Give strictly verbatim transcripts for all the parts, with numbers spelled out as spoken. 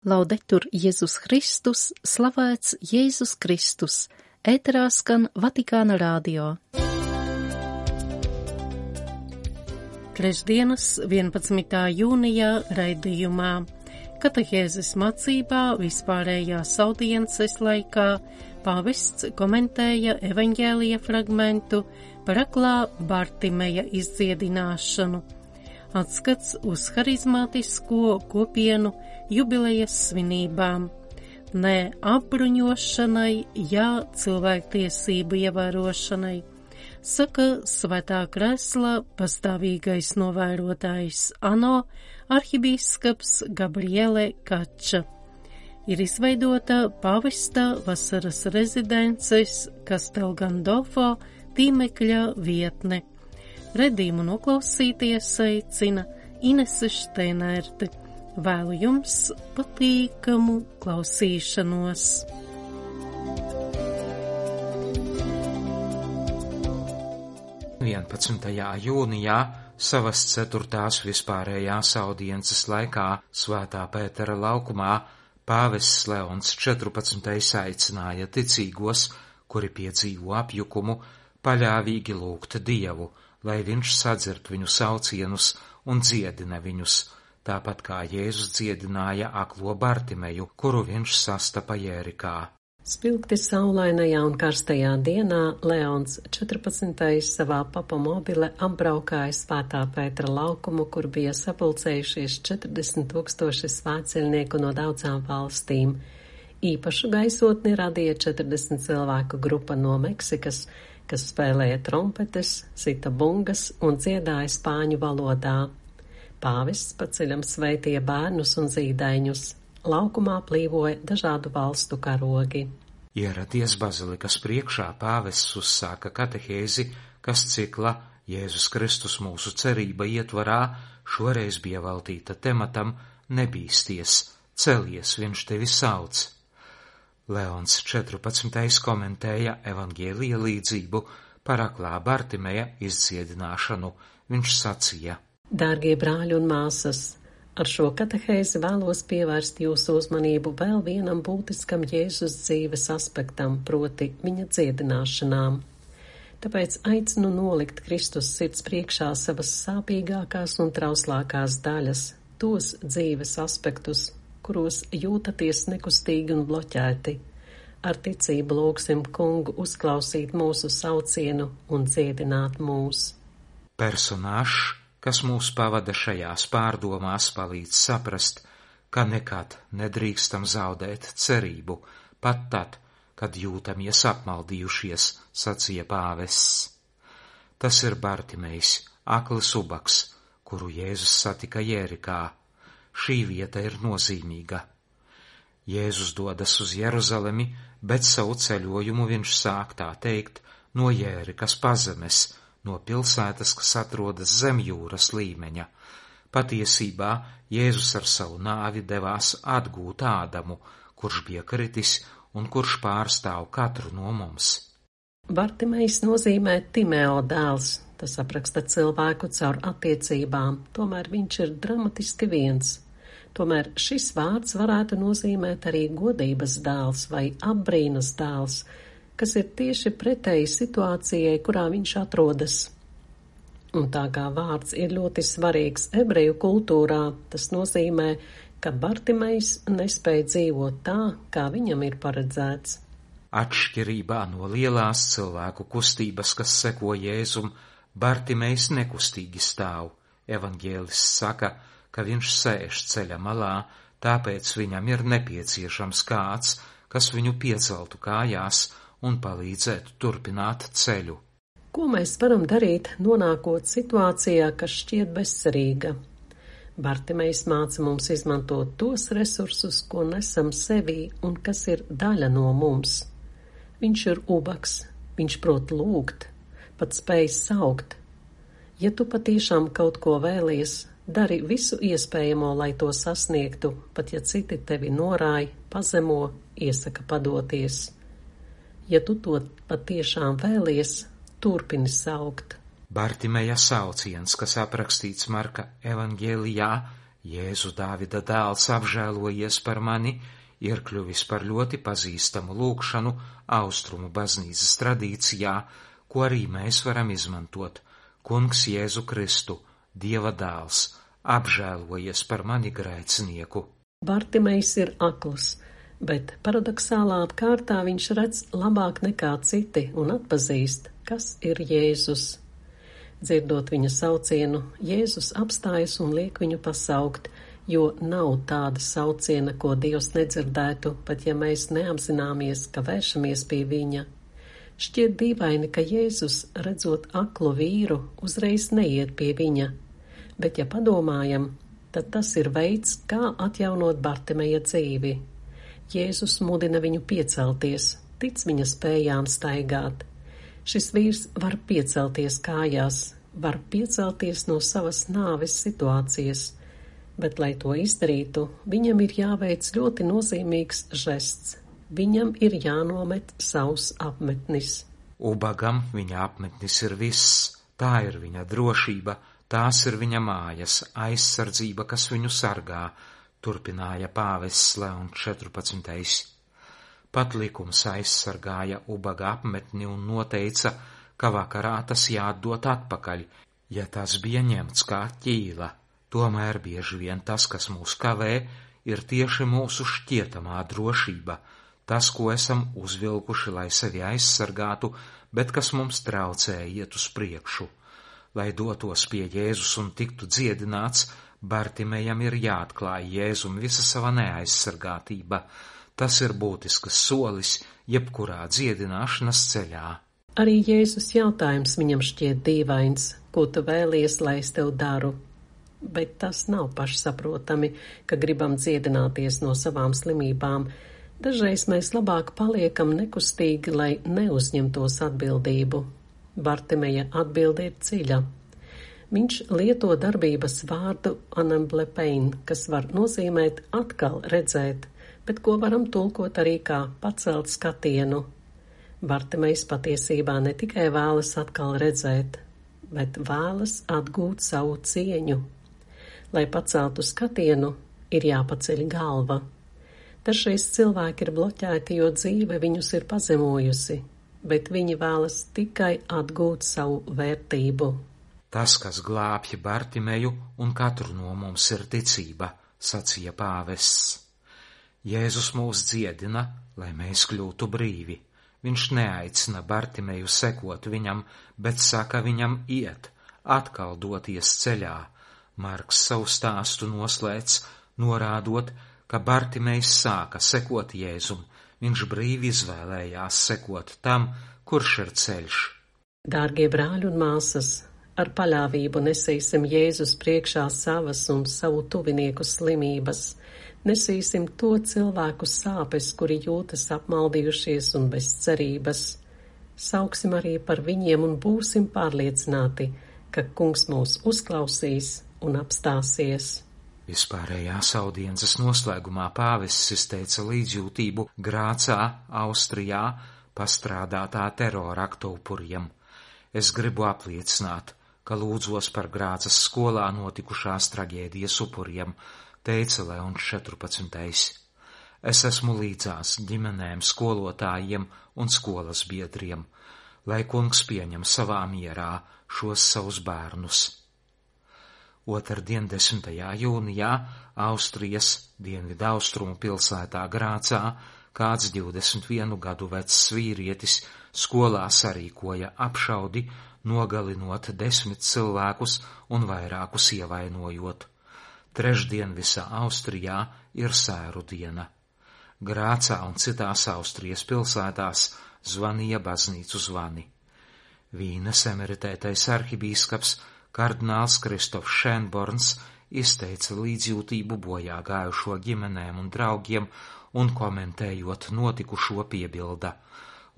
Laudetur Jēzus Kristus, slavēts Jēzus Kristus, ēterā skan Vatikāna radio. Trešdienas vienpadsmitā jūnijā raidījumā Katehēzes mācībā vispārējās audiences laikā pāvests komentēja evaņģēlija fragmentu par aklā Bartimeja izdziedināšanu. Atskats uz harizmātisko kopienu jubilejas svinībām. Nē apbruņošanai, jā cilvēktiesību ievērošanai, saka Svētā Kresla pastāvīgais novērotājs ANO arhibīskaps Gabriele Kača. Ir izveidota pāvesta vasaras rezidences Castel Gandolfo tīmekļa vietne. Redījumu noklausīties aicina Inese Šteinerte. Vēlu jums patīkamu klausīšanos. vienpadsmitajā jūnijā savas ceturtās vispārējās audiences laikā Svētā Pētera laukumā pāvests Leons četrpadsmitais aicināja ticīgos, kuri piedzīvo apjukumu, paļāvīgi lūgt Dievu, lai viņš sadzird viņu saucienus un dziedina viņus, tāpat kā Jēzus dziedināja aklo Bartimeju, kuru viņš sastapa Jērikā. Spilgti saulainajā un karstajā dienā Leons četrpadsmitais savā papamobile apbraukāja Svētā Pētera laukumu, kur bija sapulcējušies četrdesmit tūkstoši svētceļnieku no daudzām valstīm. Īpašu gaisotni radīja četrdesmit cilvēku grupa no Meksikas, kas spēlēja trompetes, sita bungas un dziedāja spāņu valodā. Pāvests pa ceļam sveitīja bērnus un zīdaiņus. Laukumā plīvoja dažādu valstu karogi. Ieradies bazilikas priekšā, pāvests uzsāka katehēzi, kas cikla Jēzus Kristus mūsu cerība ietvarā šoreiz bija veltīta tematam nebīsties, celies, viņš tevi sauc. Leons četrpadsmitais komentēja evaņģēlija līdzību par aklā Bartimeja izdziedināšanu. Viņš sacīja: Dārgie brāļi un māsas, ar šo katehēzi vēlos pievērst jūsu uzmanību vēl vienam būtiskam Jēzus dzīves aspektam, proti viņa dziedināšanām. Tāpēc aicinu nolikt Kristus sirds priekšā savas sāpīgākās un trauslākās daļas, tos dzīves aspektus, kuros jūtaties nekustīgi un bloķēti. Ar ticību lūgsim Kungu uzklausīt mūsu saucienu un dziedināt mūs. Personāžs, kas mūs pavada šajās pārdomās, palīdz saprast, ka nekad nedrīkstam zaudēt cerību, pat tad, kad jūtamies apmaldījušies, sacīja pāvests. Tas ir Bartimejs, aklis ubaks, kuru Jēzus satika Jērikā. Šī vieta ir nozīmīga. Jēzus dodas uz Jeruzalemi, bet savu ceļojumu viņš sāk, tā teikt, no Jērikas pazemes, no pilsētas, kas atrodas zem jūras līmeņa. Patiesībā Jēzus ar savu nāvi devās atgūt Ādamu, kurš bija kritis un kurš pārstāv katru no mums. Bartimejs nozīmē Timeo dēls. Tas apraksta cilvēku caur attiecībām, tomēr viņš ir dramatiski viens. Tomēr šis vārds varētu nozīmēt arī godības dēls vai apbrīnas dēls, kas ir tieši pretēji situācijai, kurā viņš atrodas. Un tā kā vārds ir ļoti svarīgs ebreju kultūrā, tas nozīmē, ka Bartimejs nespēja dzīvot tā, kā viņam ir paredzēts. Atšķirībā no lielās cilvēku kustības, kas seko Jēzum, Bartimejs nekustīgi stāv. Evaņģēlists saka, ka viņš sēž ceļa malā, tāpēc viņam ir nepieciešams kāds, kas viņu pieceltu kājās un palīdzētu turpināt ceļu. Ko mēs varam darīt, nonākot situācijā, kas šķiet bezcerīga? Bartimejs māca mums izmantot tos resursus, ko nesam sevī un kas ir daļa no mums. Viņš ir ubaks, viņš prot lūgt, pat spēj saukt. Ja tu patiešām kaut ko vēlies, dari visu iespējamo, lai to sasniegtu, pat ja citi tevi norāj, pazemo, iesaka padoties. Ja tu to patiešām vēlies, turpini saukt. Bartimeja sauciens, kas aprakstīts Marka evaņģēlijā, Jēzu Dāvida dēls apžēlojies par mani ir kļuvis par ļoti pazīstamu lūgšanu austrumu baznīcas tradīcijā, ko arī mēs varam izmantot. Kungs Jēzu Kristu, Dieva dēls, apžēlojies par mani grēcinieku. Bartimejs ir akls, bet paradoxālā kārtā viņš redz labāk nekā citi un atpazīst, kas ir Jēzus. Dzirdot viņa saucienu, Jēzus apstājas un liek viņu pasaukt, jo nav tāda sauciena, ko Dievs nedzirdētu, pat ja mēs neapzināmies, ka vēršamies pie viņa. Šķiet dīvaini, ka Jēzus, redzot aklu vīru, uzreiz neiet pie viņa, bet ja padomājam, tad tas ir veids, kā atjaunot Bartimeja dzīvi. Jēzus mudina viņu piecelties, tic viņa spējām staigāt. Šis vīrs var piecelties kājās, var piecelties no savas nāves situācijas, bet, lai to izdarītu, viņam ir jāveic ļoti nozīmīgs žests. Viņam ir jānomet savs apmetnis. Ubagam viņa apmetnis ir viss, tā ir viņa drošība, tās ir viņa mājas, aizsardzība, kas viņu sargā, turpināja pāvests Leons četrpadsmitais. Pat likums aizsargāja ubaga apmetni un noteica, ka vakarā tas jāatdot atpakaļ, ja tas bija ņemts kā ķīla. Tomēr bieži vien tas, kas mūs kavē, ir tieši mūsu šķietamā drošība, tas, ko esam uzvilkuši, lai sevi aizsargātu, bet kas mums traucē iet uz priekšu. Lai dotos pie Jēzus un tiktu dziedināts, Bartimejam ir jāatklāj Jēzum visa sava neaizsargātība. Tas ir būtisks solis jebkurā dziedināšanas ceļā. Arī Jēzus jautājums viņam šķiet dīvains, ko tu vēlies, lai es tev daru. Bet tas nav pašsaprotami, ka gribam dziedināties no savām slimībām. Dažreiz mēs labāk paliekam nekustīgi, lai neuzņemtos atbildību. Bartimeja atbilde ir dziļa. Viņš lieto darbības vārdu anamblepein, kas var nozīmēt atkal redzēt, bet ko varam tulkot arī kā pacelt skatienu. Bartimejs patiesībā ne tikai vēlas atkal redzēt, bet vēlas atgūt savu cieņu. Lai paceltu skatienu, ir jāpaceļ galva. Dažreiz cilvēki ir bloķēti, jo dzīve viņus ir pazemojusi, bet viņi vēlas tikai atgūt savu vērtību. Tas, kas glābj Bartimeju un katru no mums, ir ticība, sacīja pāvests. Jēzus mūs dziedina, lai mēs kļūtu brīvi. Viņš neaicina Bartimeju sekot viņam, bet saka viņam iet, atkal doties ceļā. Marks savu stāstu noslēdz, norādot, ka Bartimejs sāka sekot Jēzum. Viņš brīvi izvēlējās sekot tam, kurš ir ceļš. Dārgie brāļi un māsas, ar paļāvību nesīsim Jēzus priekšā savas un savu tuvinieku slimības. Nesīsim to cilvēku sāpes, kuri jūtas apmaldījušies un bez cerības. Sauksim arī par viņiem un būsim pārliecināti, ka Kungs mūs uzklausīs un apstāsies. Vispārējās audiences noslēgumā pāvests izteica līdzjūtību Grācā, Austrijā, pastrādātā terora aktu upuriem. Es gribu apliecināt, ka lūdzos par Grācas skolā notikušās traģēdijas upuriem, teica Leons četrpadsmitais. Es esmu līdzās ģimenēm, skolotājiem un skolas biedriem, lai Kungs pieņem savā mierā šos savus bērnus. Otrdien, desmitajā jūnijā, Austrijas dienvidaustrumu pilsētā Grācā kāds divdesmit vienu gadu vecs vīrietis skolā sarīkoja apšaudi, nogalinot desmit cilvēkus un vairākus ievainojot. Trešdien visā Austrijā ir sēru diena. Grācā un citās Austrijas pilsētās zvanīja baznīcu zvani. Vīnes emeritētais arhibīskaps kardināls Kristofs Šēnborns izteica līdzjūtību bojā gājušo ģimenēm un draugiem un komentējot notikušo piebilda: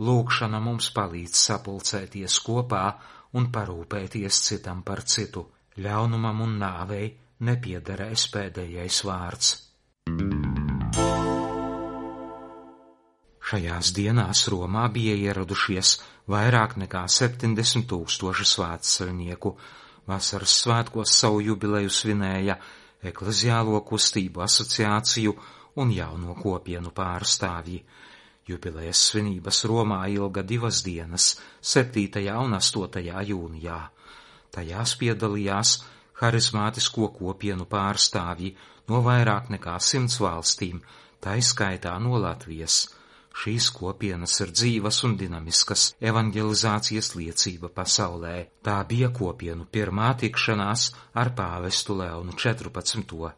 lūgšana mums palīdz sapulcēties kopā un parūpēties citam par citu. Ļaunumam un nāvei nepiederēs pēdējais vārds. Šajās dienās Romā bija ieradušies vairāk nekā septiņdesmit tūkstoši svētceļnieku. Vasaras svētkos savu jubileju svinēja ekleziālo kustību asociāciju un jauno kopienu pārstāvji. Jubilejas svinības Romā ilga divas dienas, septītajā un astotajā jūnijā. Tajās piedalījās harizmātisko kopienu pārstāvji no vairāk nekā simts valstīm, tā izskaitā no Latvijas. Šīs kopienas ir dzīvas un dinamiskas evanģelizācijas liecība pasaulē. Tā bija kopienu pirmā tikšanās ar pāvestu Leonu četrpadsmito.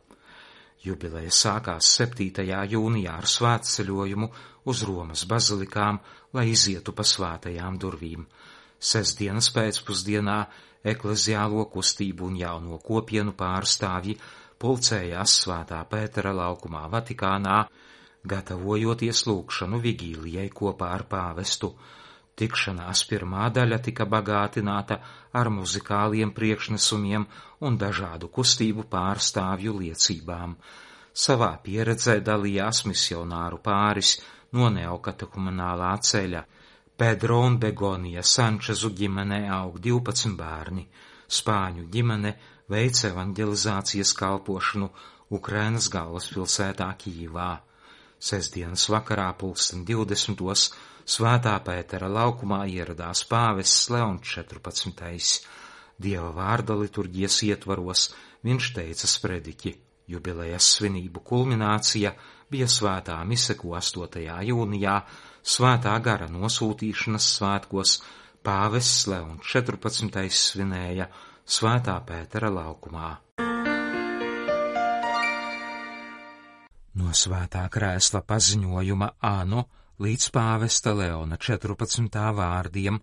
Jubileja sākās septītajā jūnijā ar svētceļojumu uz Romas bazilikām, lai izietu pa svētajām durvīm. Sestdienas pēcpusdienā ekleziālo kustību un jauno kopienu pārstāvji pulcējās Svētā Pētera laukumā Vatikānā, gatavojoties lūgšanu vigīlijai kopā ar pāvestu. Tikšanās pirmā daļa tika bagātināta ar muzikāliem priekšnesumiem un dažādu kustību pārstāvju liecībām. Savā pieredzē dalījās misionāru pāris no neokatehumenālā ceļa. Pedro un Begonija Sančezu ģimenē aug divpadsmit bērni. Spāņu ģimene veic evanģelizācijas kalpošanu Ukrainas galvaspilsētā Kijivā. Sestdienas vakarā pulksten divdesmitos Svētā Pētera laukumā ieradās pāvests Leons četrpadsmitais. Dieva vārda liturģijas ietvaros viņš teica sprediķi. Jubilejas svinību kulminācija bija svētā mise, ko astotajā jūnijā Svētā gara nosūtīšanas svētkos pāvests Leons četrpadsmitais svinēja Svētā Pētera laukumā. No Svētā krēsla paziņojuma Āno līdz pāvesta Leona četrpadsmitā vārdiem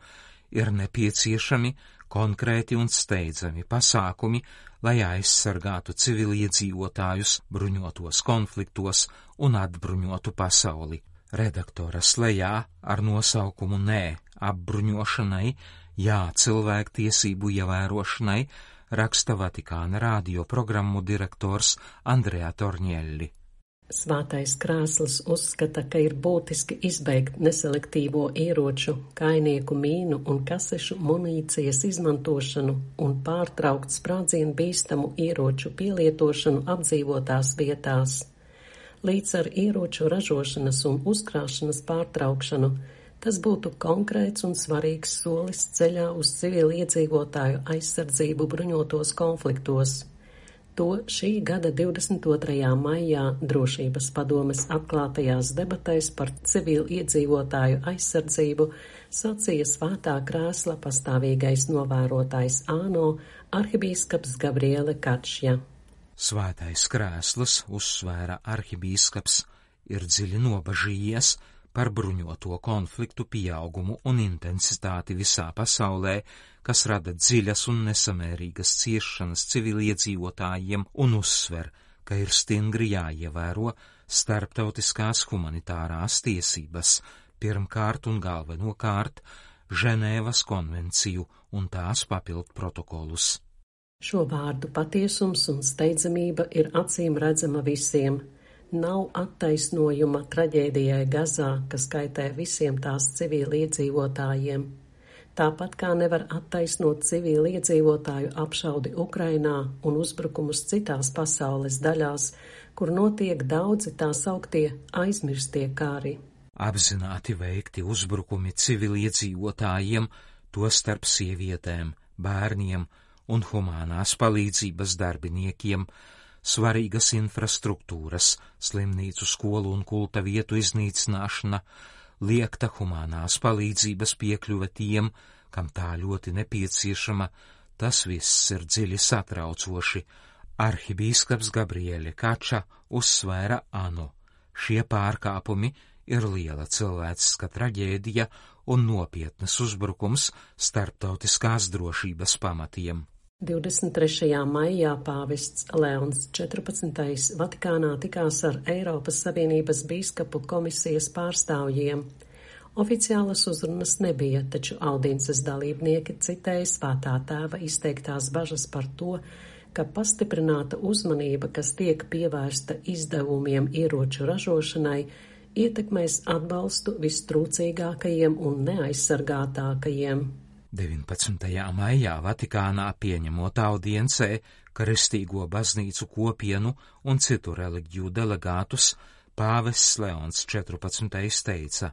ir nepieciešami konkrēti un steidzami pasākumi, lai aizsargātu civiliedzīvotājus bruņotos konfliktos un atbruņotu pasauli. Redaktoras lejā ar nosaukumu Nē apbruņošanai, jā cilvēktiesību ievērošanai raksta Vatikāna radio programmu direktors Andrea Torņelli. Svētais krēsls uzskata, ka ir būtiski izbeigt neselektīvo ieroču, kainieku mīnu un kasešu munīcijas izmantošanu un pārtraukt sprādzienu bīstamu ieroču pielietošanu apdzīvotās vietās. Līdz ar ieroču ražošanas un uzkrāšanas pārtraukšanu tas būtu konkrēts un svarīgs solis ceļā uz civiliedzīvotāju aizsardzību bruņotos konfliktos. To šī gada divdesmit otrajā maijā Drošības padomes atklātajās debatēs par civilu iedzīvotāju aizsardzību sacīja Svētā krēsla pastāvīgais novērotājs Āno arhibīskaps Gabriele Kačja. Svētais krēsls, uzsvēra arhibīskaps, ir dziļi nobažījies par bruņoto konfliktu pieaugumu un intensitāti visā pasaulē, kas rada dziļas un nesamērīgas ciešanas civiliedzīvotājiem, un uzsver, ka ir stingri jāievēro starptautiskās humanitārās tiesības, pirmkārt un galvenokārt Ženēvas konvenciju un tās papildu protokolus. Šo vārdu patiesums un steidzamība ir acīm redzama visiem. Nav attaisnojuma traģēdijai Gazā, kas kaitē visiem tās civiliedzīvotājiem. Tāpat kā nevar attaisnot civiliedzīvotāju apšaudi Ukrainā un uzbrukumus citās pasaules daļās, kur notiek daudzi tā sauktie aizmirstie kari. Apzināti veikti uzbrukumi civiliedzīvotājiem, tostarp sievietēm, bērniem un humānās palīdzības darbiniekiem, svarīgas infrastruktūras, slimnīcu, skolu un kulta vietu iznīcināšana, liekta humānās palīdzības piekļuve tiem, kam tā ļoti nepieciešama, tas viss ir dziļi satraucoši. Arhibīskaps Gabriele Kača uzsvēra Āno. Šie pārkāpumi ir liela cilvēciska traģēdija un nopietnas uzbrukums starptautiskās drošības pamatiem. divdesmit trešajā maijā pāvests Leons četrpadsmitais Vatikānā tikās ar Eiropas Savienības bīskapu komisijas pārstāvjiem. Oficiālas uzrunas nebija, taču audiences dalībnieki citēja Svētā tēva izteiktās bažas par to, ka pastiprināta uzmanība, kas tiek pievērsta izdevumiem ieroču ražošanai, ietekmēs atbalstu vistrūcīgākajiem un neaizsargātākajiem. deviņpadsmitajā maijā Vatikānā pieņemot audiencē Kristīgo baznīcu kopienu un citu reliģiju delegātus pāvests Leons četrpadsmitais teica: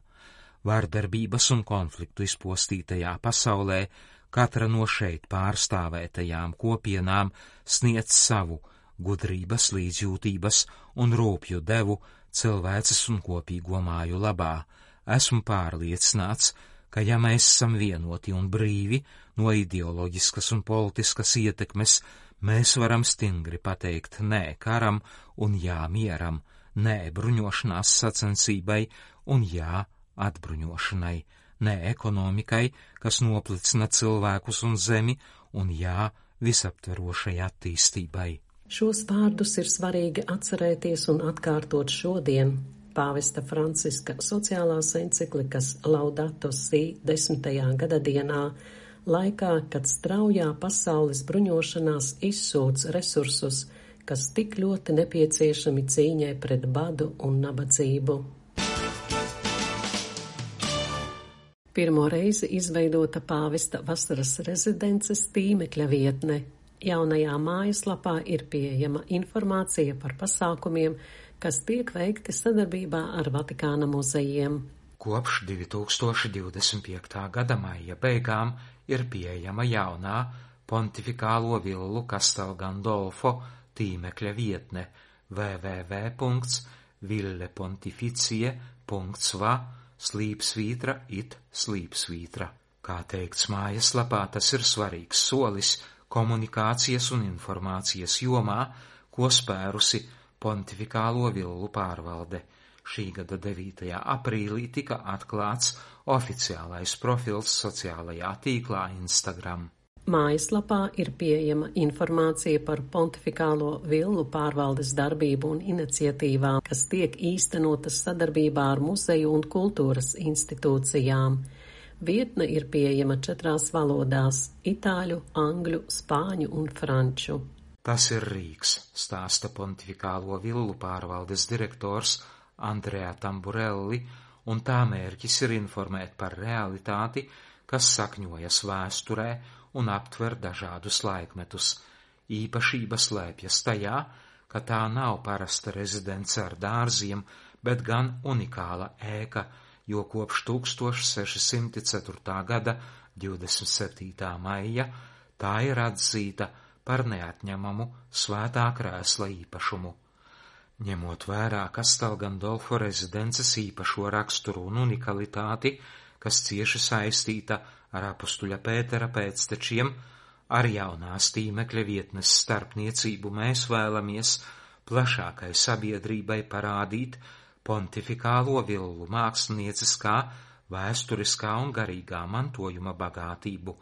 vardarbības un konfliktu izpostītajā pasaulē katra no šeit pārstāvētajām kopienām sniedz savu gudrības, līdzjūtības un rūpju devu cilvēces un kopīgo māju labā. Esmu pārliecināts, ka ja mēs esam vienoti un brīvi no ideoloģiskas un politiskas ietekmes, mēs varam stingri pateikt nē karam un jā mieram, nē bruņošanās sacensībai un jā atbruņošanai, nē ekonomikai, kas noplicina cilvēkus un zemi, un jā visaptverošai attīstībai. Šos vārdus ir svarīgi atcerēties un atkārtot šodien. Pāvesta Franciska sociālās enciklikas Laudato Si desmitajā gadadienā, laikā, kad straujā pasaules bruņošanās izsūc resursus, kas tik ļoti nepieciešami cīņai pret badu un nabadzību. Pirmo reizi izveidota pāvesta vasaras rezidences tīmekļa vietne. Jaunajā mājaslapā ir pieejama informācija par pasākumiem, kas tiek veikti sadarbībā ar Vatikāna muzejiem. Kopš divi tūkstoši divdesmit piektā gada maija beigām ir pieejama jaunā pontifikālo villu Castel Gandolfo tīmekļa vietne w w w punkts ville pontificie punkts va slīpsvītra it slīpsvītra. Kā teikts mājaslapā, tas ir svarīgs solis komunikācijas un informācijas jomā, ko spērusi pontifikālo villu pārvalde. Šī gada devītajā aprīlī tika atklāts oficiālais profils sociālajā tīklā Instagram. Mājaslapā ir pieejama informācija par pontifikālo villu pārvaldes darbību un iniciatīvām, kas tiek īstenotas sadarbībā ar muzeju un kultūras institūcijām. Vietne ir pieejama četrās valodās – itāļu, angļu, spāņu un franču. Tas ir Rīgs, stāsta pontifikālo villu pārvaldes direktors Andrea Tamburelli, un tā mērķis ir informēt par realitāti, kas sakņojas vēsturē un aptver dažādus laikmetus. Īpašība slēpjas tajā, ka tā nav parasta rezidence ar dārziem, bet gan unikāla ēka, jo kopš tūkstoš seši simti ceturtā gada divdesmit septītā maija tā ir atzīta par neatņemamu svētā krēsla īpašumu. Ņemot vērā Castel Gandolfo rezidences īpašo raksturu un unikalitāti, kas cieši saistīta ar apustuļa Pētera pēctečiem, ar jaunās tīmekļa vietnes starpniecību mēs vēlamies plašākai sabiedrībai parādīt pontifikālo villu mākslinieckā, vēsturiskā un garīgā mantojuma bagātību.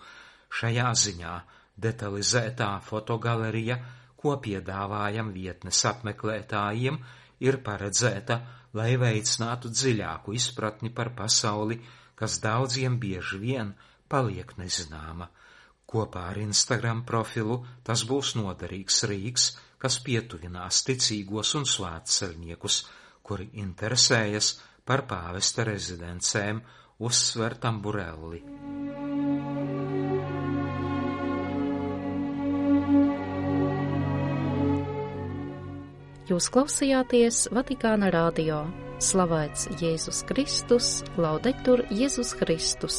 Šajā ziņā detalizētā fotogalerija, ko piedāvājam vietnes apmeklētājiem, ir paredzēta, lai veicinātu dziļāku izpratni par pasauli, kas daudziem bieži vien paliek nezināma. Kopā ar Instagram profilu tas būs noderīgs rīks, kas pietuvinās ticīgos un svētceļniekus, kuri interesējas par pāvesta rezidencēm, uzsver Tamburelli. Jūs klausījāties Vatikāna radio. Slavēts Jēzus Kristus, Laudetur Jēzus Kristus.